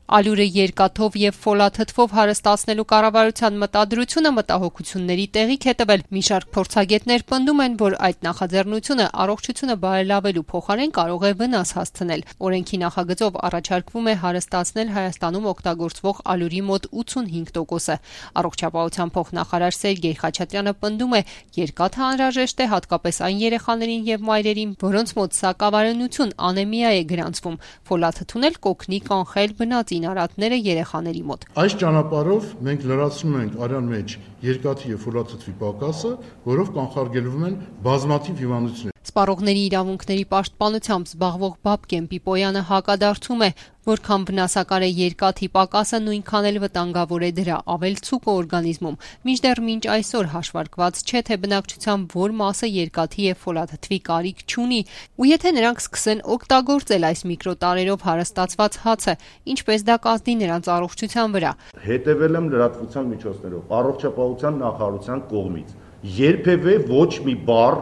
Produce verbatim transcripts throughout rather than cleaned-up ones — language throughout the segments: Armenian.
Ալյուրը երկաթով եւ ֆոլաթթվով հարստացնելու կառավարության մտադրությունը մտահոգությունների տեղիք է տվել։ Մի շարք փորձագետներ պնդում են, որ այդ նախաձեռնությունը առողջությունը բարելավելու փոխարեն կարող է վնաս հասցնել։ Օրենքի նախագծով առաջարկվում է հարստացնել Հայաստանում օգտագործվող ալյուրի մոտ ութսունհինգ տոկոսը։ Առողջապահության փոխնախարար Սերգեյ Խաչատրյանը պնդում է, երկաթը անհրաժեշտ է հատկապես այն երեխաներին եւ մայրերին, որոնց մոտ սակավարյունություն անեմիա է գրանցվում։ Ֆոլաթթուն էլ կօգնի կանխել բնածին արատները երեխաների մոտ։ Այս ճանապարհով մենք լրացնում ենք արյան մեջ երկաթի եւ ֆոլաթթվի պակասը, որով կանխարգելվում են բազմաթիվ հիվանդություններ։ Սպառողների իրավունքների պաշտպանությամբ զբաղվող Բաբկեն Պիպոյանը հակադարձում է, որքան վնասակար է երկաթի պակասը, նույնքան էլ վտանգավոր է դրա ավելցուկը օրգանիզմում։ Մինչդեռ մինչ այսօր հաշվարկված չէ, թե բնակչության որ մասը երկաթի եւ ֆոլաթթվի կարիք չունի, ու եթե նրանք սկսեն օգտագործել այս միկրոտարերով հարստացված հացը, ինչպես դա կազդի նրանց առողջության վրա։ Հետևել եմ լրատվության միջոցներով առողջապահության նախարարության կողմից։ Երբևէ ոչ մի բառ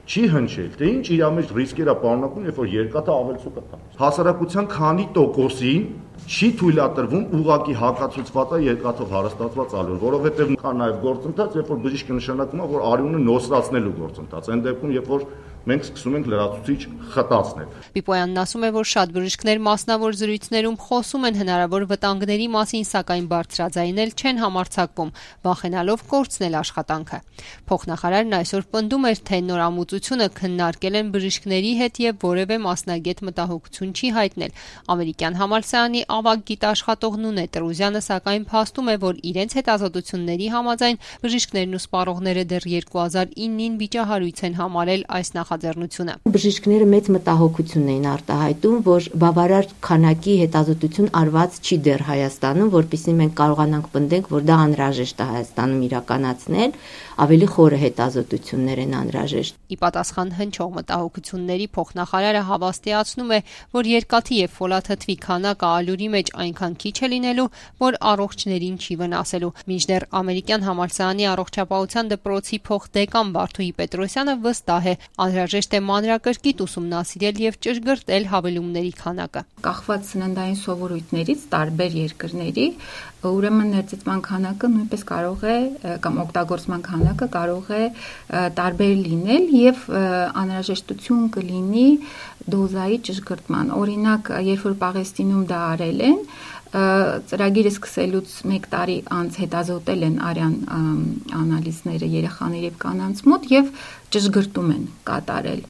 չի հնչել, թե ինչ իր մեջ ռիսկեր է պարունակում, երբ որ երկաթը ավելցուկ է։ Հասարակության քանի տոկոսին չի թույլատրվում ուղղակի հակացուցված է երկաթով հարստացված ալյուր, որովհետև կա նաև գործընթաց, երբ որ բժիշկը նշանակում է, որ արյունը նոսրացնելու գործընթաց, այն դեպքում, երբ որ մենք սկսում ենք լրացուցիչ խտացնել։ Պիպոյանն ասում է, որ շատ բժիշկներ մասնավոր զրույցներում խոսում են հնարավոր վտանգների մասին, սակայն բարձրաձայնել չեն համարձակվում, վախենալով կորցնել աշխատանքը։ Փոխնախարարն այսօր պնդում էր, թե նորամուծությունը քննարկել են բժիշկների հետ եւ որևէ մասնագետ մտահոգություն չի հայտնել։ Ամերիկյան համալսարանի ավագ գիտաշխատող Նունե Տրուզյանը սակայն փաստում է, որ իրենց հետազոտությունների համաձայն բժիշկներն ու սպառողները դեռ երկու հազար իննին վիճահարույց են համարել այս նախաձեռնությունը։ Բժիշկները մեծ մտահոգություն էին արտահայտում, որ բավարար քանակի հետազոտություն արված չի դեռ Հայաստանում, որպեսզի մենք կարողանանք պնդենք, որ դա անհրաժեշտ է Հայաստանում իրականացնել, ավելի խորը հետազոտություններ են անհրաժեշտ։ Ի պատասխան հնչող մտահոգությունների փոխնախարարը հավաստիացնում է, որ երկաթի եւ ֆոլաթթվի քանակը ալյուրի մեջ այնքան քիչ է լինելու, որ առողջներին չի վնասելու։ Մինչդեռ ամերիկյան համալսարանի առողջապահության դպրոցի փոխդեկան Վարդուհի Պետրոսյանը վստահ է, անհրաժեշտ է մանրակրկիտ ուսումնասիրել եւ ճշգրտել հավելումների քանակը։ Կախված սննդային սովորույթներից տարբեր երկրների, ուրեմն ներծծման քանակը նույնպես կարող է կամ օգտագործման քանակը կարող է տարբեր լինել եւ անհրաժեշտություն կլինի դոզայի ճշգրտման։ Օրինակ, երբ որ Պաղեստինում դա արել են, ծրագիրը սկսելուց մեկ տարի անց հետազոտել են արյան անալիզները երեխաների եւ կանանց մոտ եւ ճշգրտում են կատարել։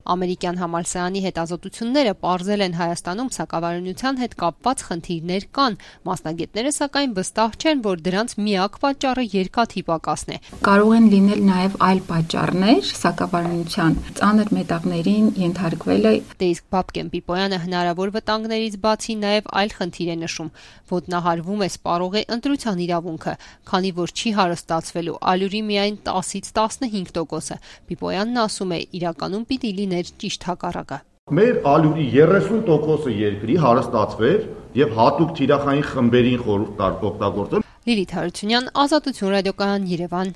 Ամերիկյան համալսարանի հետազոտությունները պարզել են Հայաստանում սակավարյունության հետ կապված խնդիրներ կան, մասնագետները սակայն վստահ չեն, որ դրանց միակ պատճառը երկաթի պակասն է։ Կարող են լինել նաև այլ պատճառներ սակավարյունության ծանր մետաղներին ենթարկվելը։ Դե իսկ Բաբկեն Պիպոյանը հնարավոր վտանգներից բացի նաև այլ խնդիր է նշում՝ ոտնահարվում է սպառողի ընտրության իրավունքը, քանի որ չի հարստացվելու ալյուրի միայն տասից տասնհինգ տոկոսը։ Պիպոյանն ասում է, իրականում պիտի լիներ ճիշտ հակառակը։ Մեր ալյուրի երեսուն տոկոսը երկրի հարստացվեր եւ հատուկ թիրախային խմբերին խորհուրդ տար օգտագործել։ Լիլիթ Հարությունյան, Ազատություն ռադիոկայան, Երևան։